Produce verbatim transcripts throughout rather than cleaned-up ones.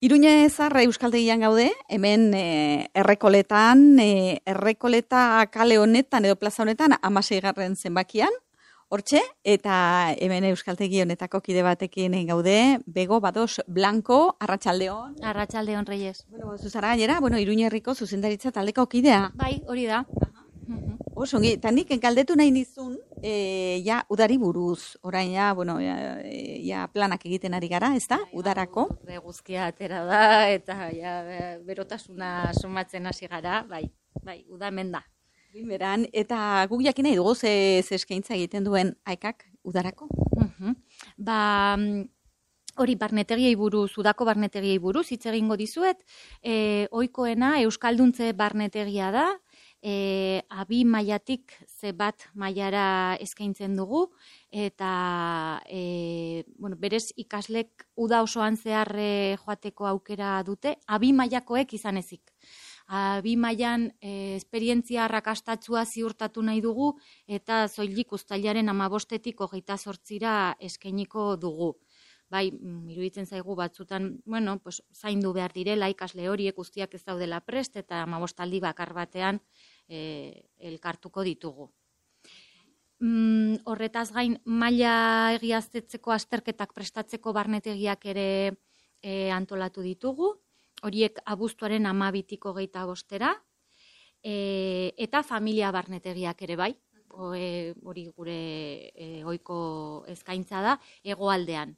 Iruña Zarra Euskaltegian gaude, hemen e, errekoletan, e, errekoleta kale honetan edo plaza honetan amaseigarren zenbakian, hortxe, eta hemen Euskaltegi honetako kide batekin gaude, Bego Bados Blanco, Arratsaldeon. Arratsaldeon, Reyes. Bueno, zuzara gainera, bueno, Iruña herriko zuzendaritza taldeko kidea. Bai, hori da. Oso, ongi, eta nik galdetu nahi nizun, e, ja, udari buruz, orain ja, bueno, ja, ja planak egiten ari gara, ez da, udarako? Bai, guzkia atera da, eta ja, berotasuna somatzen hasi gara, bai, bai, udamen da. Beran, eta guk jakin nahi dugu ze, ze eskaintza egiten duen aikak udarako? Uh-huh. Ba, hori barnetegiei buruz, udako barnetegiei buruz, hitz egingo dizuet, e, ohikoena Euskalduntze barnetegia da, E, abi mailatik ze bat mailara eskaintzen dugu, eta e, bueno, berez ikaslek uda osoan zehar e, joateko aukera dute, abi mailakoek izan ezik. Abi mailan e, esperientzia arrakastatsua ziurtatu nahi dugu, eta soilik uztailaren hamabostetik hogeita zortzira eskainiko dugu. Bai, iruditzen zaigu batzutan, bueno, pues, zaindu behar direla ikasle horiek guztiak ez daudela prest, eta hamabostaldi bakar batean e, elkartuko ditugu. Mm, horretaz gain, maila egiaztetzeko azterketak prestatzeko barnetegiak ere e, antolatu ditugu, horiek abuztuaren hamabitik hogeita bostera, e, eta familia barnetegiak ere bai, hori gure e, ohiko eskaintza da, hegoaldean.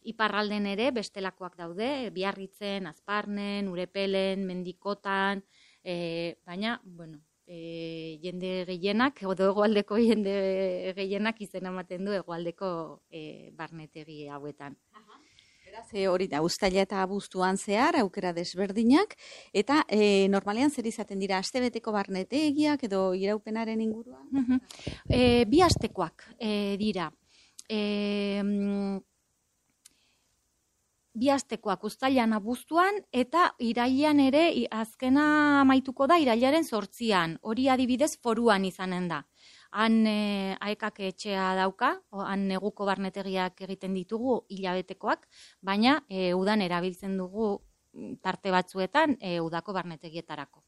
Iparralden ere bestelakoak daude, Biarritzen, Azparnen, Urepelen, Mendikotan, e, baina, bueno, e, jende gehienak, edo hegoaldeko jende gehienak izena ematen du hegoaldeko e, barnetegi hauetan. Beraz, e, hori da, uztaila eta abuztuan zehar, aukera desberdinak, eta e, normalean zer izaten dira, astebeteko barnetegiak edo iraupenaren inguruan? Uh-huh. e, bi astekoak e, dira. E, Bi astekoak uztailan abuztuan eta irailean ere azkena amaituko da irailaren zortzian. Hori adibidez foruan izanen da. Han e, aekak etxea dauka, han neguko barnetegiak egiten ditugu hilabetekoak, baina e, udan erabiltzen dugu tarte batzuetan e, udako barnetegietarako.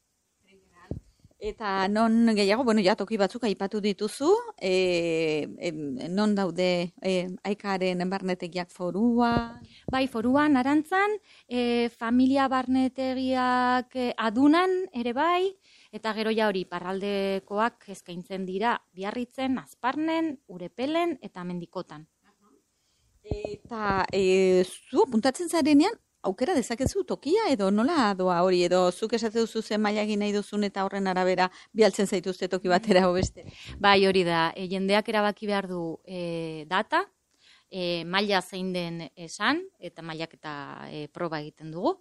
Eta non gehiago, bueno, ja toki batzuk aipatu dituzu, e, e, non daude e, aikaren barnetegiak forua? Bai, foruan, Arantzan, e, familia barnetegiak e, adunan ere bai, eta gero ja hori parraldekoak eskaintzen dira Biarritzen, Azparnen, Urepelen eta Mendikotan. Eta e, zu puntatzen zarenean, aukera dezakezu tokia edo nola doa hori, edo zuk esatze duzu zen maila egin nahi duzun eta horren arabera bialtzen zaituzte toki batera o beste? Bai, hori da, e, jendeak erabaki behar du e, data, e, maila zein den esan, eta mailak eta e, proba egiten dugu,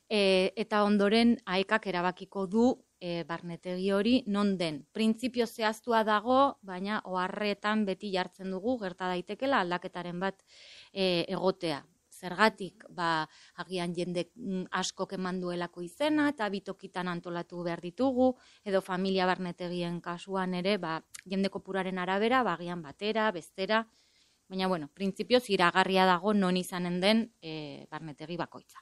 e, eta ondoren aekak erabakiko du e, barnetegi hori non den. Printzipio zehaztua dago, baina oharretan beti jartzen dugu, gerta daitekela aldaketaren bat e, egotea. Zergatik, ba, agian jende askok eman duelako izena, eta bitokitan antolatu behar ditugu, edo familia barnetegien kasuan ere, ba, jende kopuraren arabera, ba, agian batera, bestera, baina, bueno, printzipioz iragarria dago non izanen den e, barnetegi bakoitza.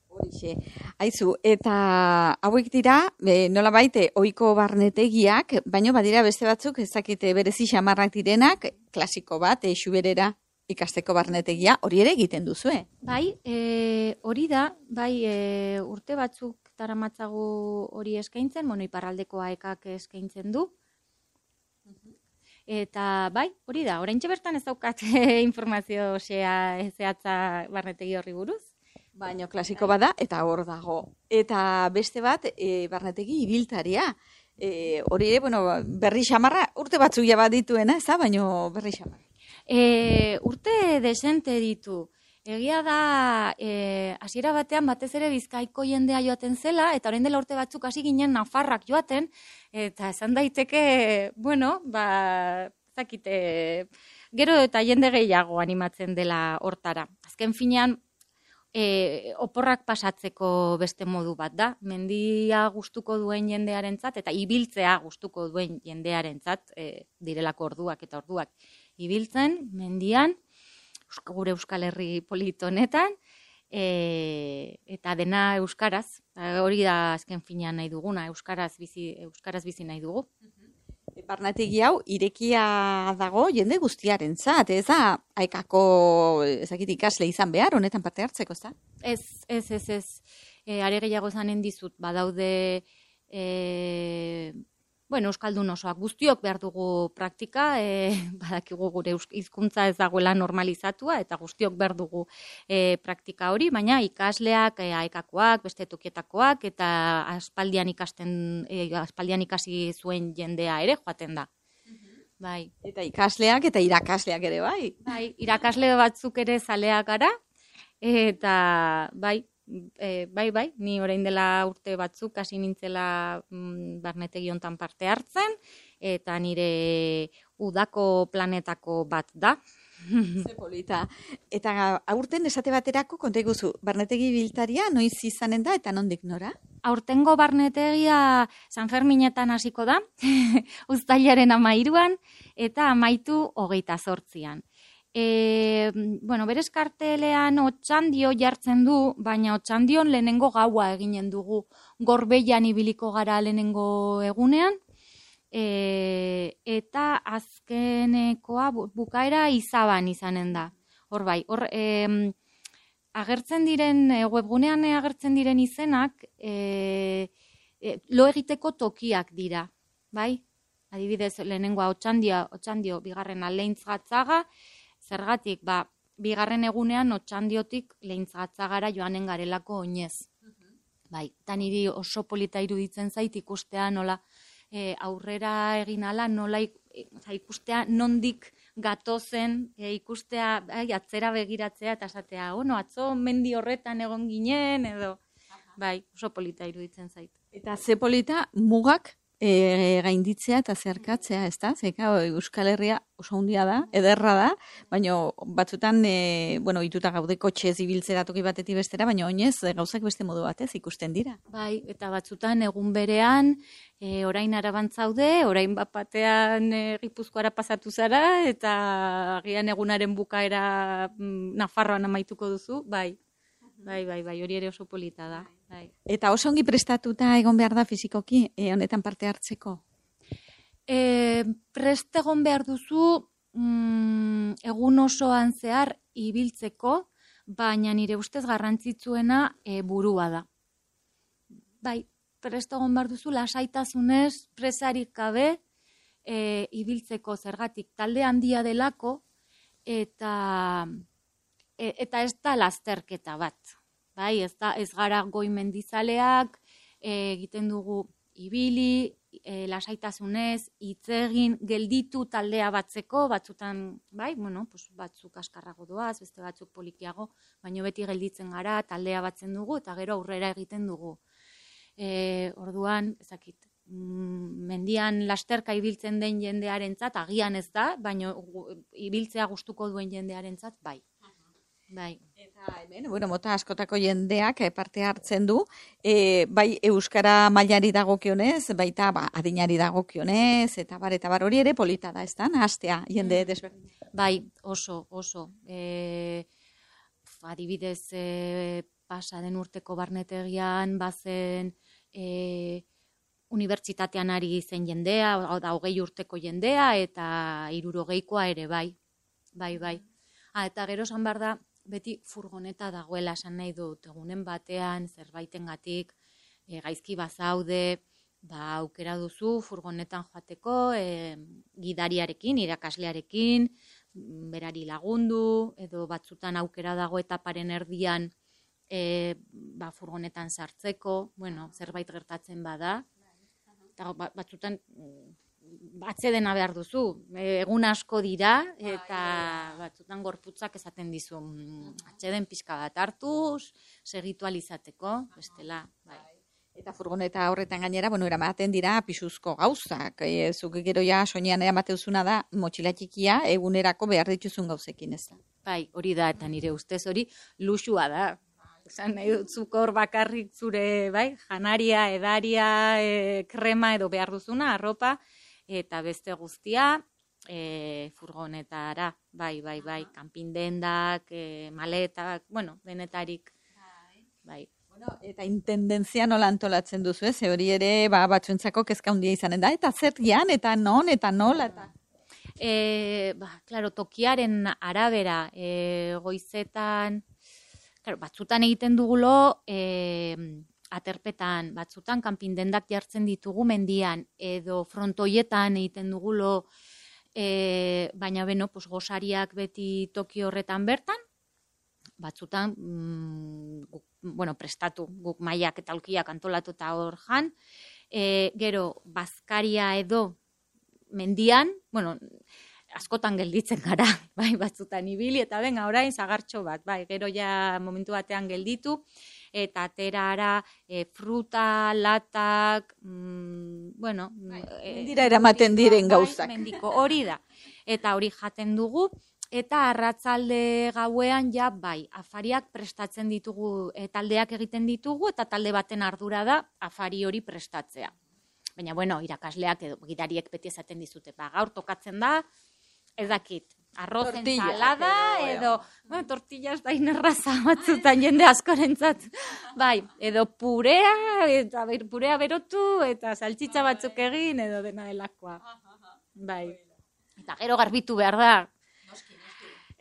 Horixe, aizu, eta hauek dira, e, nola baite, ohiko barnetegiak, baino badira beste batzuk, ezakite berezi xamarrak direnak, klasiko bat, e, xuberera, ikasteko barnetegia, hori ere egiten duzue. Bai, e, hori da, bai, e, urte batzuk daramatzagu hori eskaintzen, bueno, iparraldeko aekak eskaintzen du. Eta bai, hori da, oraintxe bertan ez daukat informazio zehatza barnetegi horri buruz. Baina klasiko bada, eta hor dago. Eta beste bat, e, barnetegi ibiltaria. E, hori ere, bueno, berri xamarra, urte batzuk ja badituena, ez da, baina berri xamarra. E, urte desente ditu. Egia da, e, hasiera batean batez ere Bizkaiko jendea joaten zela, eta orain dela urte batzuk hasi ginen nafarrak joaten, eta esan daiteke, bueno, ba, zakite, gero eta jende gehiago animatzen dela hortara. Azken finean, e, oporrak pasatzeko beste modu bat da. Mendia gustuko duen jendearentzat, eta ibiltzea gustuko duen jendearentzat, e, direlako orduak eta orduak. Ibiltzen, mendian, gure Euskal Herri polit honetan, e, eta dena euskaraz, hori da azken finean nahi duguna, euskaraz bizi, euskaraz bizi nahi dugu. Barnetegi hau irekia dago jende guztiarentzat, ez da haikako ezakit ikasle izan behar honetan parte hartzeko, ez da? Ez, ez, ez, ez. E, are gehiago zanen dizut, badaude e, bueno, euskaldun osoak guztiok behar dugu praktika, e, badakigu gure hizkuntza ez dagoela normalizatua, eta guztiok behar dugu e, praktika hori, baina ikasleak, e, aekakoak, beste tokietakoak, eta aspaldian ikasten, e, aspaldian ikasi zuen jendea ere joaten da. Bai. Eta ikasleak eta irakasleak ere, bai. Bai, irakasle batzuk ere zaleak gara, eta bai, E, bai, bai, ni orain dela urte batzuk hasi nintzela mm, barnetegi hontan parte hartzen, eta nire udako planetako bat da. Ze polita. Eta aurten esate baterako konta iguzu, barnetegi biltaria noiz izanen da eta nondik nora? Aurtengo barnetegia San Ferminetan hasiko da, uztailaren hamairuan, eta amaitu hogeita zortzian. E, bueno, berez kartelean Otxandio jartzen du, baina Otxandion lehenengo gaua eginen dugu, Gorbeian ibiliko gara lehenengo egunean, e, eta azkenekoa bukaera Izaban izanen da. Hor bai, hor e, agertzen diren, webgunean agertzen diren izenak, e, e, lo egiteko tokiak dira, bai? Adibidez, lehenengoa Otxandio, Otxandio bigarren Leintz Gatzaga, zergatik, ba, bigarren egunean Otxandiotik Leintz Gatzagara joanen garelako oinez. Bai, eta niri oso polita iruditzen zait ikustea nola e, aurrera egin ala, nola ik, e, ikustea nondik gatozen, e, ikustea ai, atzera begiratzea eta esatea, ono, atzo mendi horretan egon ginen, edo, bai, oso polita iruditzen zait. Eta ze polita mugak E, gainditzea eta zeharkatzea, ez da? Zeka, Euskal Herria oso handia da, ederra da, baina batzutan, e, bueno, ituta gaude kotxez ibiltzera toki batetik bestera, baina oinez gauzak beste modu batez ikusten dira. Bai, eta batzutan egun berean, e, orain Arabantzaude, orain bat batean e, Gipuzkoara pasatu zara, eta agian egunaren bukaera mm, Nafarroan amaituko duzu, bai. Bai, bai, bai, hori ere oso polita da. Bai. Eta oso ongi prestatuta egon behar da fizikoki, e, honetan parte hartzeko? E, prest egon behar duzu mm, egun osoan zehar ibiltzeko, baina nire ustez garrantzitsuena e, burua da. Bai, prest egon behar duzu lasaitasunez, presarik gabe e, ibiltzeko zergatik talde handia delako, eta... eta ez da lasterketa bat, bai, ez da, ez gara goi mendizaleak, e, egiten dugu ibili, e, lasaitasunez, hitz egin, gelditu taldea batzeko, batzutan, bai, bueno, pues batzuk askarrago doaz, beste batzuk polikiago, baino beti gelditzen gara, taldea batzen dugu, eta gero aurrera egiten dugu. E, orduan, ezakit, mm, mendian lasterka ibiltzen den jendearentzat, agian ez da, baino ibiltzea gustuko duen jendearentzat, bai. Bai. Eta hemen, bueno, mota askotako jendeak parte hartzen du, e, bai euskara mailari dagokionez, baita ba, adinari dagokionez, eta bar, eta bar hori ere polita da, ez da, nahastea jende desberdin. Bai, oso, oso. E, adibidez, e, pasa den urteko barnetegian, bazen e, unibertsitatean ari zen jendea, da hogei urteko jendea, eta hirurogeikoa ere, bai. Bai, bai. Ah, eta gero esan behar da, beti furgoneta dagoela esan nahi dut, egunen batean, zerbaitengatik, e, gaizki bazaude, ba, aukera duzu furgonetan joateko, e, gidariarekin, irakaslearekin, berari lagundu, edo batzutan aukera dago etaparen erdian e, ba, furgonetan sartzeko, bueno, zerbait gertatzen bada, eta batzutan atzedena behar duzu, egun asko dira, eta batzutan gorputzak esaten dizu, atzeden pixka bat hartuz, segitu alizateko, bestela, bai. Eta furgoneta horretan gainera, bueno, eramaten dira pisuzko gauzak, e, zuk gero ja soinean eramateuzuna da, motxila txikia, egunerako behar dituzun gauzekin, ez da? Bai, hori da, eta nire ustez hori luxua da. Esan nahi dut zuk hor bakarrik zure, bai, janaria, edaria, e, krema edo behar duzuna, arropa, eta beste guztia e, furgonetara, bai, bai, bai, kanpindendak, e, maletak, bueno, denetarik bai. Bueno, eta intendentzia nola antolatzen duzu, ez? Hori ere, ba, batzuentzako kezka handia izanen da, eta zer gian, eta non, eta nola, eta... E, ba, claro, tokiaren arabera, e, goizetan, claro, batzutan egiten dugulo, e, aterpetan, batzutan kanpindendak jartzen ditugu mendian, edo frontoietan egiten dugulo, e, baina beno, pues, gosariak beti toki horretan bertan, batzutan, mm, guk, bueno, prestatu, guk maiak eta aulkiak antolatu eta hor jan, e, gero, bazkaria edo mendian, bueno, askotan gelditzen gara, bai, batzutan ibili, eta benga, orain zagartxo bat, bai, gero ja momentu batean gelditu, eta aterara e, fruta, latak, mm, bueno... Mendira eramaten diren gauzak. Bai, mendiko, hori da. Eta hori jaten dugu, eta arratzalde gauean ja, bai, afariak prestatzen ditugu, e, taldeak egiten ditugu, eta talde baten ardura da afari hori prestatzea. Baina, bueno, irakasleak edo gidariek beti esaten dizute, ba, gaur tokatzen da, ez dakit, arroz ensalada edo, bueno, tortillas da inerraza batzutan jende askorentzat, bai, edo purea, eta purea berotu, eta saltxitza batzuk egin, edo dena delakoa. Bai, eta gero garbitu behar da,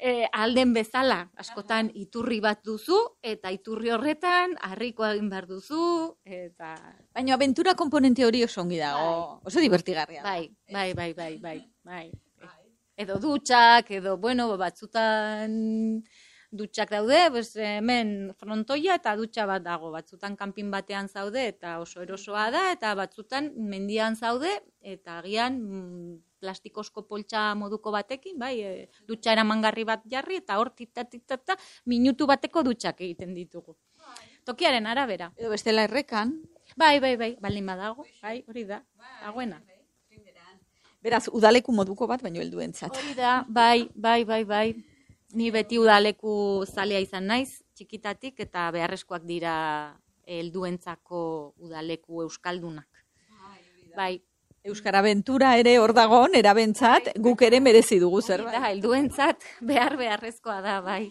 e, alden bezala, askotan iturri bat duzu, eta iturri horretan harrikoa egin behar duzu, eta... Baina abentura komponente hori oso ongi dago, oso divertigarria. Bai, bai, bai, bai, bai, bai. Edo dutxak, edo, bueno, batzutan dutxak daude, pues, hemen frontoia eta dutxa bat dago, batzutan kanpin batean zaude eta oso erosoa da, eta batzutan mendian zaude, eta agian mm, plastikozko poltsa moduko batekin, bai, e, dutxa eramangarri bat jarri, eta hor tita-tita-tita minutu bateko dutxak egiten ditugu. Tokiaren arabera. Edo bestela errekan. Bai, bai, bai, baldin badago, bai, hori da, dagoena. Beraz, udaleku moduko bat, baino helduentzat. Hori da, bai, bai, bai, bai. Ni beti udaleku zalea izan naiz, txikitatik, eta beharrezkoak dira helduentzako udaleku euskaldunak. Bai. Euskara Abentura ere hor dagoen, erabentzat, guk ere merezi dugu zerbait. Da, helduentzat behar beharrezkoa da, bai.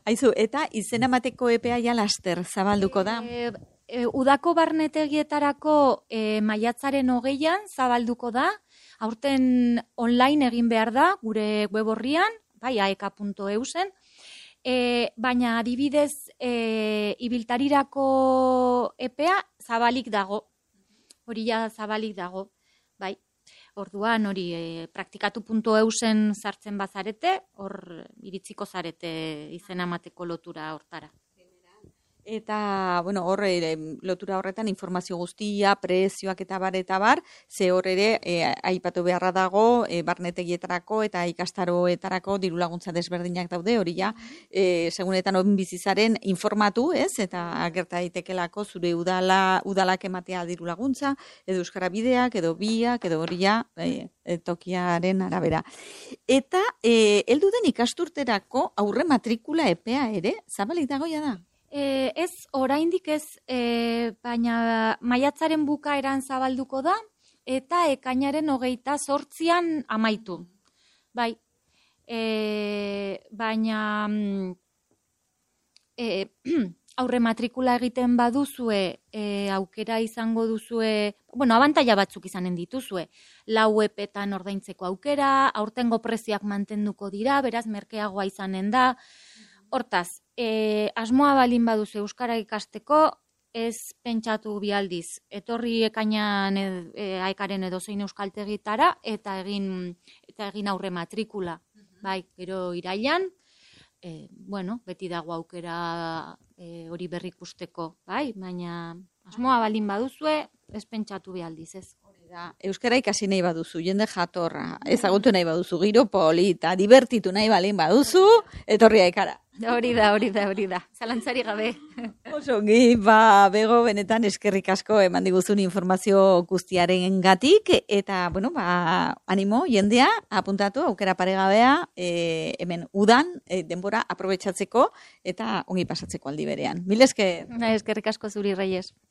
Aizu, eta izena emateko epea ja laster zabalduko da? E, e, udako barnetegietarako e, maiatzaren hogeian zabalduko da, aurten online egin behar da, gure web horrian, bai, aeka puntu eu zen, e, baina adibidez e, ibiltarirako epea zabalik dago, hori ja zabalik dago, bai. Orduan hori e, praktikatu puntu eu zen sartzen bazarete, hor iritziko zarete izena emateko lotura hortara. Eta, bueno, hor ere, lotura horretan informazio guztia, prezioak eta bar, eta bar, ze hor ere, e, aipatu beharra dago, e, barnetegietarako eta ikastaroetarako diru laguntza desberdinak daude, hori ja, e, segunetan hon bizizaren informatu, ez, eta agerta daitekelako zure udala, udalak ematea diru laguntza, edo euskara bideak, edo biak, edo hori ja, e, e, tokiaren arabera. Eta, e, heldu den ikasturterako aurre matrikula epea ere, zabalik dagoia da? E, ez, oraindik ez, e, baina maiatzaren bukaeran zabalduko da, eta ekainaren hogeita zortzian amaitu. Bai, e, baina e, aurre matrikula egiten baduzue, e, aukera izango duzue, bueno, abantaila batzuk izanen dituzue, lau epetan ordaintzeko aukera, aurtengo preziak mantenduko dira, beraz merkeagoa izanen da. Hortaz, e, asmoa balin baduzu euskara ikasteko, ez pentsatu bialdiz. Etorri ekainan e, aekaren edozein euskaltegitara eta egin eta egin aurre matrikula. Bai, gero irailan, e, bueno, beti dago aukera e, hori berrikusteko, bai, baina asmoa balin baduzue, ez pentsatu bialdiz, ez. Da, euskara ikasi nahi baduzu, jende jatorra, ezagutu nahi baduzu, giro polita, divertitu nahi balin baduzu, etorri aekara. Hori da, hori da, hori da. Zalantzari gabe. Oso ongi, ba, Bego, benetan eskerrik asko eman diguzun informazio guztiaren gatik, eta, bueno, ba, animo, jendea, apuntatu, aukera paregabea, e, hemen udan, e, denbora aprobetxatzeko, eta ongi pasatzeko aldi berean. Mil esker. Eskerrik asko zuri, Reyes.